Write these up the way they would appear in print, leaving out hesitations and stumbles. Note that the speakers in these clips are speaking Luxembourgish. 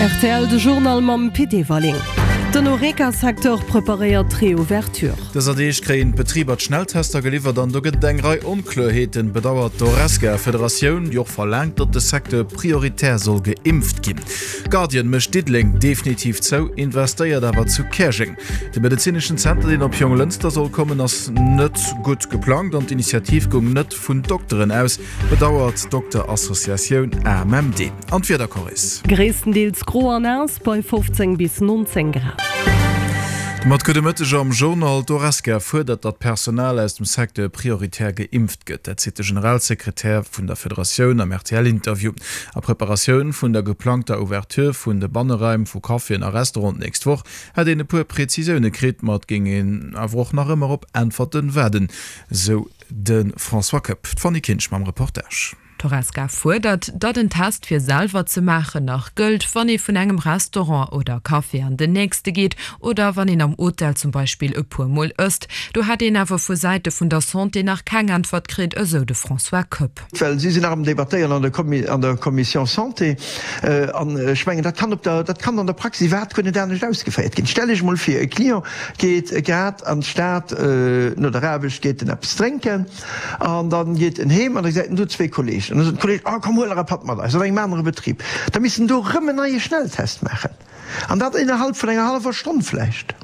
Rtl, De Journal mam Pit Everling. Den Horeca-Secteur preparéiert d'Reouverture. Dëser Deeg kréien d'Betriber d'Schnelltester geliwwert an do gëtt et eng Rei Onkloerheeten, bedauert d'Horesca-Federatioun, déi och verlaangt, datt de Secteur prioritär soll geimpft ginn. Guardian mécht Diddeleng definitiv zou, investéiert awer zu Käerjeng. De medezineschen Zenter, deen op Jonglënster soll kommen, ass net gutt geplangt an d'Initiativ goung net vun Dokteren aus, bedauert d'Dokterassociatioun AMMD. An d'Wiedercorris. Gréisstendeels gro an naass bei 15 bis 19 Grad. Domat gudde Mëtteg am Journal. D'Horesca fuerdert, datt d'Personal aus dem Secteur prioritär geimpft gëtt. Dat seet de Generalsekretär vun der Federatioun am RTL-Interview. A Preparatioun vun der geplangter Ouverture vun de Banneraim vu Caféen a Restauranten d'nächst Woch hätt een e puer Prezisioune kritt, ma et géing een awer och nach ëmmer op Äntwerte waarden, sou de François Koepp. D'Fanny Kinsch mam Reportage. D'Horesca fuerdert, datt en Test fir selwer ze maachen nach gëllt, wann ee vun engem Restaurant oder Café an den nächste geet oder wann een am Hotel zum Beispill e puer Mol ësst. Do hätt een awer vu Säite vun der Santé nach keng Äntwert kritt, esou de François Koepp. Well si sinn nach am Debattéieren an der Commission Santé. An ech mengen, dat kann op der, dat kann an der Praxis iwwerhaapt guer net anescht ausgeféiert ginn. Stell Iech emol vir, e Client geet grad an d'Stad no der Aarbecht, geet en eppes drénken. An dann geet en heem an da gesäit en do zwee Kollegen. An da sot den Kolleg, Oh komm, huel nach e Patt mat eis an engem anere Betrib. Da misst en do erëm en neie Schnelltest maachen. An dat innerhalb vun enger hallwer Stonn vläicht.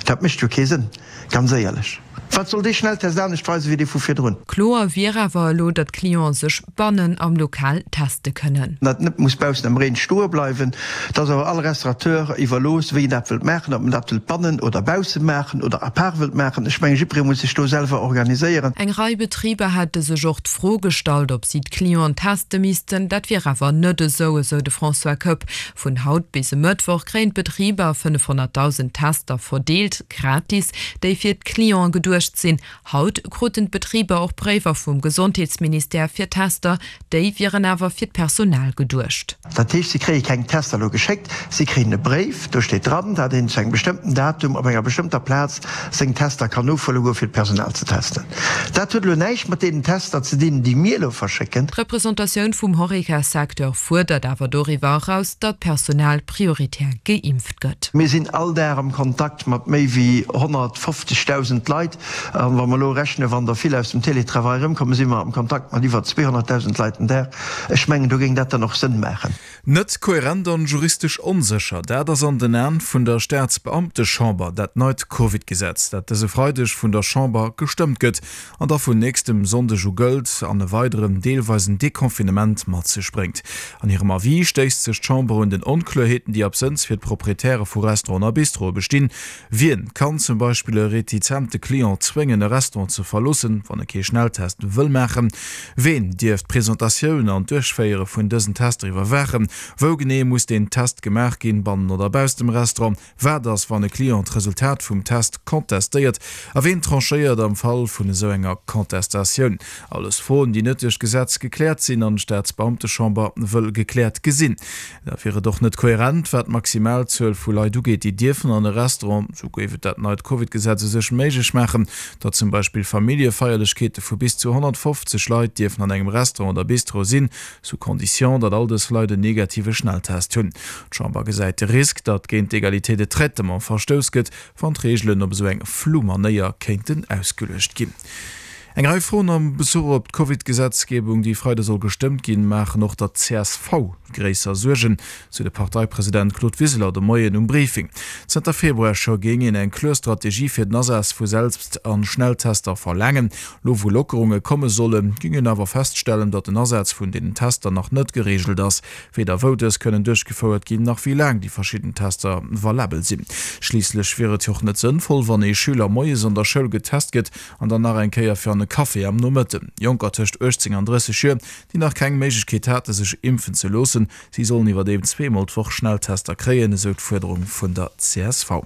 Dat mécht jo kee Sënn, ganz éierlech. Wat soll dee Schnelltest anescht weisen, wéi dee vu virdrun? Kloer wier awer elo, datt d'Clienten sech bannen am Lokal teste kënnen. Dat net muss baussen am Reen stoe bleiwen. Et ass awer all Restaurateur iwwerlooss, wéi en dat wëllt maachen, ob en dat wëllt bannen oder bausse maachen oder à part wëllt maachen. Ech mengen, jiddweree muss sech do selwer organiséieren. Eng Rei Betriber hätte sech och d'Fro gestallt, ob si d'Clienten teste missten. Dat wier awer net esou, esou de François Koepp. Vun haut bis e Mëttwoch kréien d'Betriber 500.000 Tester verdeelt, gratis, déi fir d'Clienten geduecht sinn. Haut kruten d'Betriber och Bréiwer vum Gesondheetsministère fir Tester, déi wieren awer fir d'Personal geduecht. Dat heescht, si kréie keng Tester elo geschéckt, si kréien e Bréif, do steet dran, dat een zu engem bestëmmten Datum op enger bestëmmter Plaz seng Tester kann ofhuele goe fir d'Personal ze testen. Dat huet elo näischt mat deenen Tester ze dinn, déi mir elo verschécken. D'Representatioun vum Horeca-Secteur fuerdert awer doriwwer eraus, datt d'Personal prioritär geimpft gëtt. Mir sinn all Dag am Kontakt mat méi wéi 150.000 Leit. An wa mer elo rechnen, wann der vill aus dem Télétravail erëmkommen, si mer am Kontakt mat iwwer 200.000 Leit den Dag. Ech mengen, do géing dat dann och Sënn maachen. Net kohärent an juristesch onsécher, dat ass an den Aen vun der Staatsbeamtechamber dat neit Covid-Gesetz, dat dëse Freideg vun der Chamber gestëmmt gëtt an da vun nächstem Sonndeg u gëllt an e weideren deelweisen Deconfinement mat sech bréngt. An hirem Avis stéisst sech d'Chamber un den Onkloerheeten, déi absënns fir d'Proprietäre vu Restauranten a Bistroe bestinn. Wien kann zum Beispill e retizente Client zwéngen e Restaurant ze verloossen, wann e kee Schnelltest wëll maachen? Ween dierf d'Presentatioun an d'Duerchféiere vun dësen Tester iwwerwaachen? Wou genee muss deen Test gemaach ginn, bannen oder bausst dem Restaurant? Wat ass, wann e Client d'Resultat vum Test contestéiert? A ween tranchéiert am Fall vun esou enger Contestatioun? Alles Froen, déi net duerch d'Gesetz gekläert sinn an d'Staatsbeamtechamber wëll gekläert gesinn. Da wier et och net koherent, wat d'Maximalzuel vu Leit ugeet, déi dierfen an e Restaurant. Sou géif et dat neit Covid-Gesetz u sech méiglech maachen, datt zum Beispill Familljefeierlechkeete vu bis zu 150 Leit dierfen an engem Restaurant oder Bistro sinn, sous condition, datt all dës Leit en negative Schnelltest hunn. D'Chamber gesäit de Risk, datt géint d'Egalité de traitement verstouss gëtt, wann d'Reegelen op esou eng flou Manéier kéinten ausgeluecht ginn. Eng Rei Froen am Bezuch op d'Covid-Gesetzgebung, déi Freide soll gestëmmt ginn, maachen och der csv gréisser Suergen, sou de Parteipresident Claude Wiseler de Moien um Briefing. Zënter Februar scho géing een eng kloer Strategie fir den Asaz vu Selbst an Schnelltester verlaangen. Lo wou Lockerunge komme sollen, géing een awer feststellen, datt den Asaz vun deenen Tester nach net gereegelt ass. Weder wou dës kënnen duerchgefouert ginn, nach wéi laang déi verschidden Tester valabel sinn. Schliisslech wier et jo och net sënnvoll, wann ee Schüler moies an der Schoul getest gëtt, An dann nach eng Kéier fir an e Café am Nomëtten. Jonker tëscht 18 an 30 Joer, déi nach keng Méiglechkeet hate sech impfen ze loossen, si sollen iwwerdeem zweemol d'Woch Schnelltester kréien, esou d'Fuerderung vun der csv.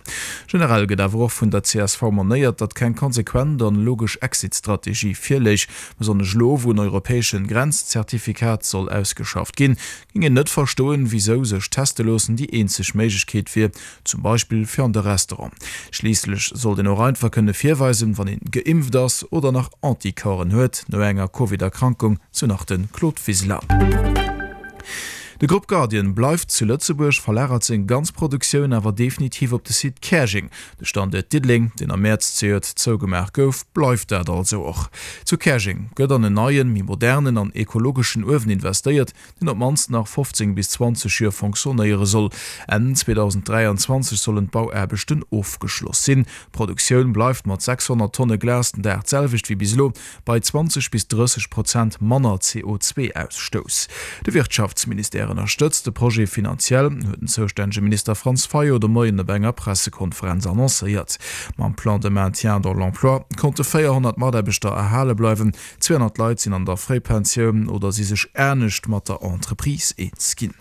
Generell gëtt awer och vun der csv monéiert, datt keng konsequent an logesch Exit-Strategie virléich. Besonnesch elo, wou en europäeschen Grenzzertifikat soll ausgeschafft ginn, géing een net verstoen, wisou sech teste loossen déi eenzeg Méiglechkeet wier, zum Beispill fir an de Restaurant. Schliisslech sollt een och einfach kënne virweisen, wann een geimpft ass oder nach Anticorpsen huet no enger Covid-Erkrankung, sou nach de Claude Wiseler. De Grupp Guardian bleift zu Lëtzebuerg, verlagert seng ganz Produktioun awer definitiv op de Site Käerjeng. De Standuert Diddeleng, deen am Mäerz zejoert zougemaach gouf, bleift dat also och. Zu Käerjeng gëtt an en neien, méi modernen an ekologeschen Uewen investéiert, deen op d'mannst nach 15 bis 20 Joer fonctionnéiere soll. Enn 2023 sollen d'Bauaarbechten ofgeschloss sinn. D'Produktioun bleift mat 600 Tonne Glas den Dag d'selwecht wéi bis elo, bei 20 bis 30 Prozent manner CO2-Ausstouss. De Wirtschaftsministère ënnerstëtzt de Projet finanziell, huet den zoustännege Minister Franz Fayot de Moien op enger Pressekonferenz annoncéiert. Mam Plan de maintien dans l'emploi konnte 400 Mataarbechter erhale bleiwen, 200 Leit sinn an der Fréipensioun oder si sech anescht mat der Entreprise eens ginn.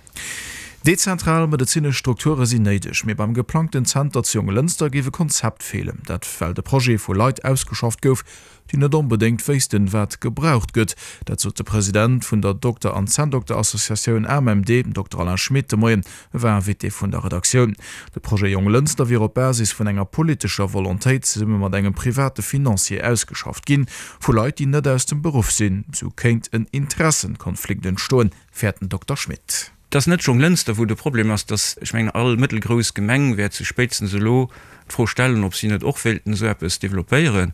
Dezentral medezinesch Strukture sinn néideg, mee beim geplangten Zenter zu Jonglënster géif e Konzept feelen. Dat well de Projet vu Leit ausgeschafft gouf, déi net onbedéngt wéissten, wat gebraucht gëtt. Dat sot de President vun der Dokter an Zänndokter-Associatioun AMMD, Dokter Alain Schmit, de Moien. E war Invité vun der Redaktioun. De Projet Jonglënster wier op Basis vun enger politescher Volontéit zesumme mat engem private Financier ausgeschafft ginn, vu Leit, déi net aus dem Beruff sinn. Sou kéint en Interessenkonflikt entstoen, fäert den Dokter Schmit. Et ass net Jonglënster, wou de Problem ass, dass, ech mengen, all mëttelgrouss Gemeng wäert sech spéitstens elo d'Fro stellen, ob si net och wéilten esou eppes développéieren.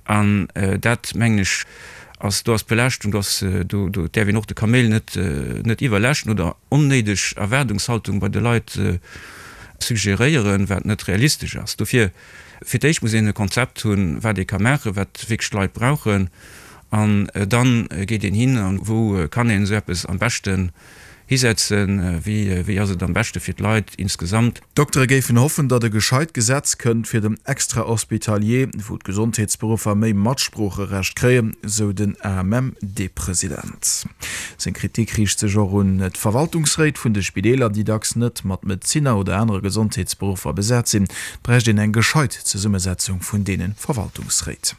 An dat, mengen ech, ass, do ass d'Belaaschtung, do ass, do, do däerf een och de Kaméil net, net iwwerlaaschten oder onnéideg Erwaardungshaltung bei de Leit suggeréieren, wat net realistesch ass. Dofir, fir d'éischt muss een e Konzept hunn, wat ee ka maachen, wat wierklech d'Leit brauchen. An dann geet een hin, an wou kann een esou eppes am beschten hisetzen, wéi, wéi ass et am beschte fir d'Leit insgesamt. D'Doktere géifen hoffen, datt e gescheit Gesetz kënnt fir den Extra-Hospitalier, wou d'Gesondheetsberuffer méi Matsproocherecht kréien, sou den AMMD-President. Seng Kritik riicht sech och un d'Verwaltungsréit vun de Spideeler, déi dacks net mat Medezinner oder anere Gesondheetsberuffer besat sinn. Et bräicht een eng gescheit Zesummesetzung vun deene Verwaltungsréit.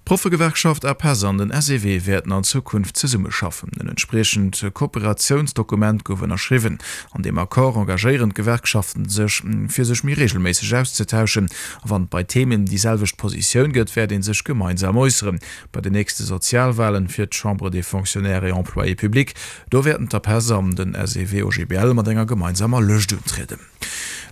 D'Proffegewerkschaft APESS an den SEW wäerten an Zukunft zesummeschaffen. En entspriechend Kooperatiounsdokument gouf ënnerschriwwen. An deem Accord engagéieren d'Gewerkschaften sech, fir sech méi reegelméisseg auszetauschen. A wann et bei Themen déi selwecht Positioun gëtt, wäert ee sech gemeinsam äusseren. Bei den nächste Sozialwalen fir d'Chambre des Fonctionnaires et Employés publics, do wäerten d'APESS an den SEW-OGBL mat enger gemeinsamer Lëscht untrieden.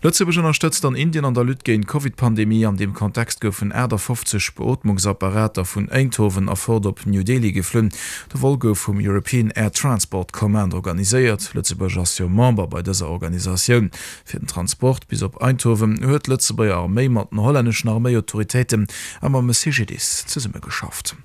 Lëtzebuerg ënnerstëtzt an Indien an der Lutte géint d'Covid-Pandemie. An deem Kontext goufen 58 Beootmungsapparater vun Eindhoven erfort op New Delhi geflunn. De Vol gouf vum European Air Transport Command organiséiert. Lëtzebuerg ass jo Member bei dëser Organisatioun. Fir den Transport bis op Eindhoven huet d'Lëtzebuerger Arméi mat den hollänneschen Arméiautoritéiten a mam CGDIS zesummegeschafft.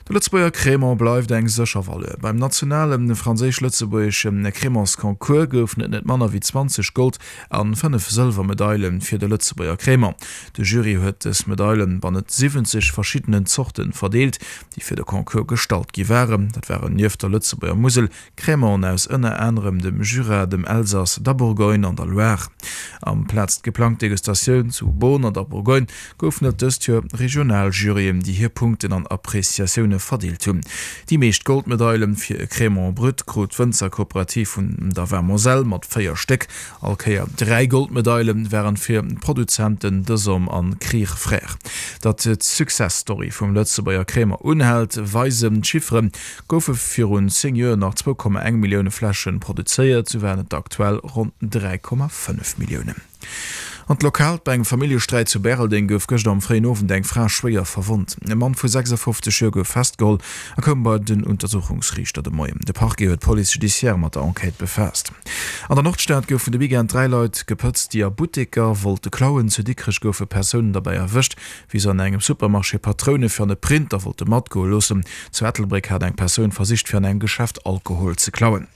De Lëtzebuerger Crémant bleift eng sécher Valeur. Beim nationale franséisch-lëtzebuergesche Crémantsconcours goufen et net manner wéi 20 Gold an 5 Sëlwermedaile fir de Lëtzebuerger Crémant. De Jury huet dës Medaile bannent 70 verschiddenen Zorte verdeelt, déi fir de Concours gestallt gi waren. Dat waren nieft der Lëtzebuerger Musel Crémanten aus ënner anerem dem Jura, dem Elsass, der Bourgogne an der Loire. Amplaz d'geplangt Degustatioun zu Beaune an der Bourgogne goufen et dëst Joer regional Juryen, déi hir Punkten an Appreciatioune verdeelt hunn. Déi meescht Goldmedaile fir e Crémant brut krut d'Wënzerkooperativ vun der Vin Moselle mat 4 Stéck. All Kéier 3 Goldmedaile waren fir d'Produzenten Desom an Krier Frères. Datt d'Success-Story vum Lëtzebuerger Crémant unhält, weisen d'Chifferen, Goufe virun 10 Joer nach 2,1 Millioune Fläschen produzéiert, sou waren et der aktuell ronn 3,5 Milliounen. An d'Lokalt, Bei engem Familljesträit zu Bäreldeng gouf gëschter am fréien Owend eng Fra schwéier verwonnt. E Mann vu 56 Joer gouf festgeholl a koum bei den Untersuchungsriichter de Moien. De Parquet huet d'Police judiciaire mat der Enquête befaasst. An der Nordstad goufen de Weekend 3 Leit gepëtzt, déi a Butteker wollte klauen. Zu Dikrech goufe Persounen derbäi erwëscht, wéi se an engem Supermarché Patroune fir an e Printer wollte matgoe loossen. Zu Ettelbréck hat eng Persoun versicht, fir an engem Geschäft Alkohol ze klauen.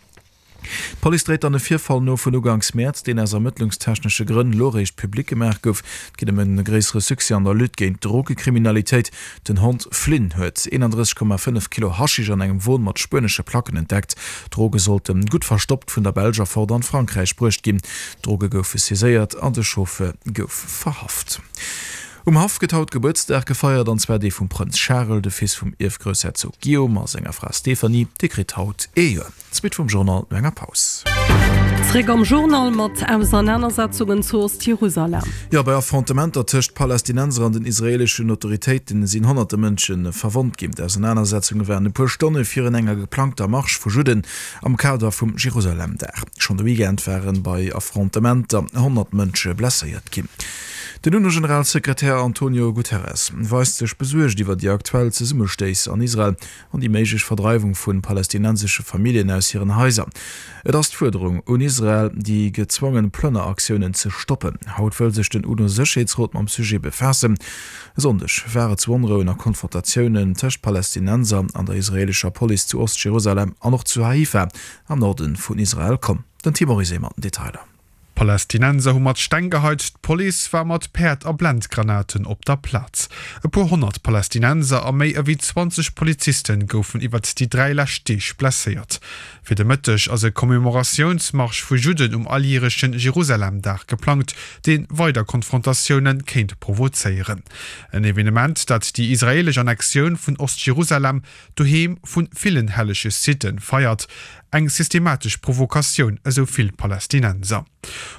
D'Police dréit dann e Virfall no vun uganks Mäerz, deen aus ermëttlungstechnesche Grënn elo eréischt public gemaach gouf. Et geet ëm e gréissere Succès an der Lutte géint d'Drogekriminalitéit. Den Hond Flynn huet 31,5 Kilo Haschisch an engem Won mat spuenesche Placken entdeckt. D'Droge sollte gutt verstoppt vun der Belsch erfort an Frankräich bruecht ginn. D'Droge goufe saiséiert an de Chauffeur gouf verhaft. Um Haff gëtt haut Gebuertsdag gefeiert, an zwar dee vum Prënz Charel, de Fils vum Ierfgroussherzog Guillaume a senger Fra Stéphanie. Dee kritt haut ee Joer. D'Suite vum Journal no enger Paus. Zréck am Journal mat Ausernanersetzungen zu Ost-Jerusalem. Jo, bei Affrontementer tëscht Palästinenser an den israeeleschen Autoritéiten sinn honnerte Mënsche verwonnt ginn. D'Ausernanersetzunge waren e puer Stonne virun enger geplangter Marsch vu Judden am Kader vum Jerusalem-Dag. Schonn de Weekend ware bei Affrontementer 100 Mënsche blesséiert ginn. Den UNO-Generalsekretär Antonio Guterres weist sech besuergt iwwer déi aktuell Zesummestéiss an Israel an déi méiglech Verdreiwung vu palästinensesche Familljen aus hiren Haiser. Et ass d'Fuerderung un Israel, déi gezwongen Plënneraktiounen ze stoppen. Haut wëll sech den UNO-Sécherheetsrot mam Sujet befaassen. E Sonndeg war et zu Onrouen a Konfrontatiounen tëscht Palästinenser an der israeelescher Police zu Ost-Jerusalem an och zu Haifa am Norde vun Israel komm. Den Tim Morizet mat den Detailer. D'Palästinenser hu mat Steng geheit, d'Police war mat Päerd a Blendgranaten op der Plaz. E puer 100 Palästinenser a méi ewéi 20 Poliziste goufen iwwert déi 3 lescht Deeg blesséiert. Fir de Mëtteg ass e Commemoratiounsmarsch vu Judden um alljärechen Jerusalem-Dag geplangt, dee weider Konfrontatioune kéint provozéieren. En Evenement, dat déi israeelesch Annexioun vun Ost-Jerusalem, doheem vu villen hellege Sitten, feiert. Eng systematesch Provokatioun, esou vill Palästinenser.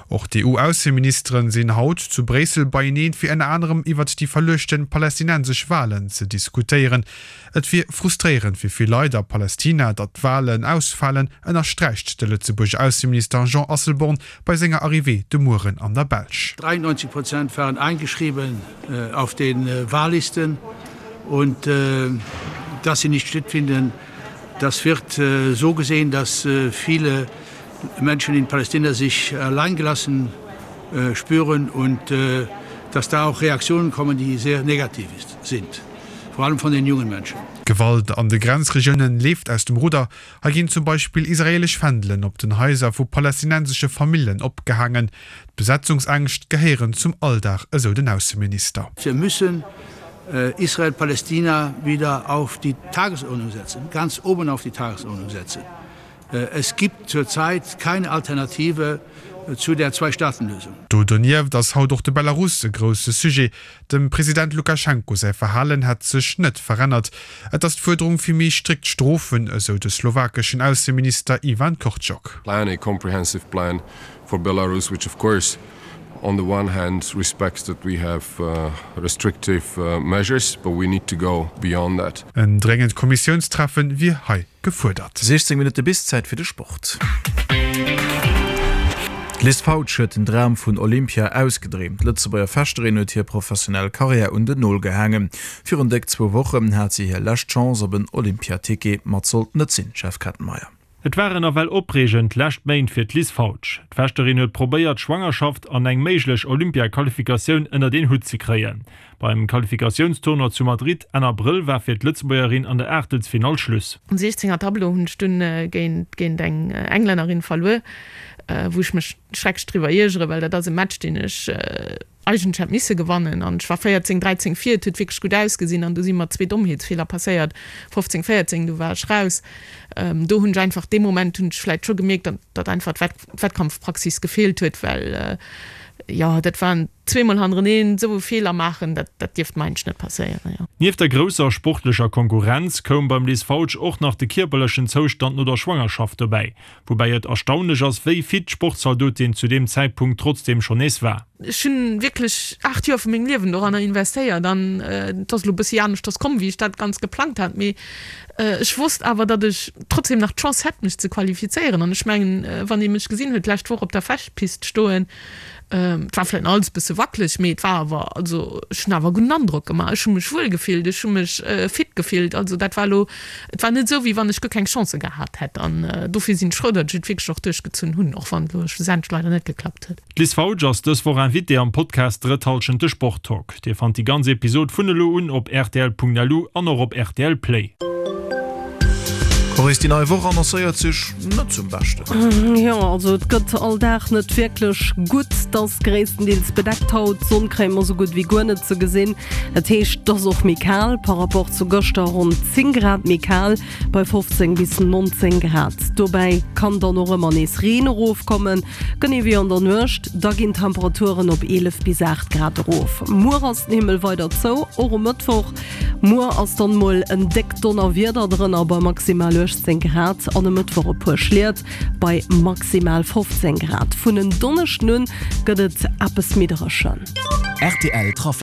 Och d'EU-Ausseministeren sinn haut zu Bréissel beieneen, fir ënner anerem iwwert déi verluechte palästinensesch Walen ze diskutéieren. Et wier frustréierend fir vill Leit a Palästina, datt d'Walen ausfalen, ënnersträicht de Lëtzebuerger Ausseminister Jean Asselborn bei senger Arrivée de Mueren an der Belsch. 93 Prozent waren eingeschrieben auf den Wahllisten und dass sie nicht stattfinden, Das wird so gesehen, dass viele Menschen in Palästina sich alleingelassen spüren und dass da auch Reaktionen kommen, die sehr negativ sind, vor allem von den jungen Menschen. D'Gewalt an de Grenzregioune leeft aus dem Rudder. Hei ginn zum Beispill israeelesch Fändelen op den Haiser vu palästinensesche Famillen opgehaangen. D'Besetzungsängscht gehéieren zum Alldag, esou den Ausseminister. Wir müssen Israel-Palästina wieder auf die Tagesordnung setzen, ganz oben auf die Tagesordnung setzen. Es gibt zurzeit keine Alternative zu der Zwei-Staaten-Lösung. Do donieft ass haut och de Belarus e grousse Sujet. Dem President Lukaschenko säi Verhalen hätt sech net verännert. Et ass d'Fuerderung fir méi strikt Strofen, esou de slowakeschen Ausseminister Ivan Korčok. Plan, a comprehensive plan for Belarus, which of course on the one hand respects that we have restrictive measures, but we need to go beyond that. En dréngend Kommissiounstreffen wier hei gefuerdert. 16 Minutte bis Zäit fir de Sport. D'Liz Fautsch huet den Dram vun Olympia ausgedreemt. D'Lëtzebuerger Fechterin huet hir professionell Karriär un den Nol gehaangen. Virun déck zwou Wochen hat si hir lescht Chance op en Olympiaticket, ma et sollt net sinn, Jeff Kettenmeyer. Et waren nawell opreegend lescht Méint fir d'Liz Fautsch. D'Fechterin huet probéiert, d'Schwangerschaft an eng méiglech Olympia-Qualifikatioun ënnert een Hutt ze kréien. Beim Qualifikatiounstournoi zu Madrid Enn Abrëll war fir d'Lëtzebuergerin an der Aachtelsfinall Schluss. Am 16 er Tableau hunn ech dunn géint géint eng Englännerin verluer, wou ech mech schrecklech driwwer iergeren, well dat ass e Match deen ech eigentlech hätt misse gewannen an ech war 14, 13 vir, et huet wierklech gutt ausgesinn an du si mer zwee Dommheetsfeeler passéiert, 15, 14, du war ech raus. Do hunn ech einfach, dee Moment hunn ech vläicht scho gemierkt, datt einfach d'Wettkampfpraxis gefeelt huet, well jo, dat waren zweemol hannereneen esou e Feeler maachen, dat dat dierft mer eigentlech net passéieren, jo. Nieft der grousser sportlecher Konkurrenz koum beim Liz Fautsch och nach de kierperlechen Zoustand no der Schwangerschaft dobäi. Woubäi et erstaunlech ass, wéi fit d'Sportzaldotin zu deem Zäitpunkt trotzdeem schonn nees war. Ech hunn wierklech 8 Joer vu mengem Liewen doranner investéiert an et ass elo e bëssi aneschters komm, wéi ech dat ganz geplangt hat, mee ech wosst awer, datt ech trotzdeem nach d'Chance hätt, mech ze qualifizéieren. An ech mengen, wann ee mech gesinn huet d'lescht Woch op der Fechtpist stoen, Et war vläit nach alles e bësse wackeleg, mee et war awer, also ech hunn awer e gudden Androck gemaach. Ech hu mech wuel gefillt, ech hu mech fit gefillt. Also dat war elo, et war net esou, wéi wann ech guer keng Chancë gehat hätt. An dofir sinn ech frou, datt ech et wierklech och duerchgezunn hunn, och wann et elo schlussendlech leider net geklappt huet. D'Liz Fautsch ass dës Woch Invitée am Podcast Drëtt Hallschent, de Sport-Talk. Dir fannt déi ganz Episod vun elo un op rtl.lu an och op rtl Play. Maurice, déi nei Woch annoncéiert sech net zum Beschten. Jo, also et gëtt all Dag net wierklech gutt. Et ass gréisstendeels bedeckt haut, d'Sonn kréie mer sou gutt wéi guer net ze gesinn. Dat heescht, et ass och méi kal par rapport zu gëschter, ronn 10 Grad méi kal bei 15 bis 19 Grad. Dobäi kann dann och ëmmer nees Reen erofkommen, genee wéi an der Nuecht. Da ginn d'Temperaturen op 11 bis 8 Grad erof. Muer ass den Himmel weider zou, och um Mëttwoch. Muer ass dann mol en déckt Donnerwieder drënner bei maximal 18 Grad an e Mëttwoch e puer Schliet bei maximal 15 Grad. Vun en Donneschden un gëtt et eppes méi dréchen. Rtl Trafic.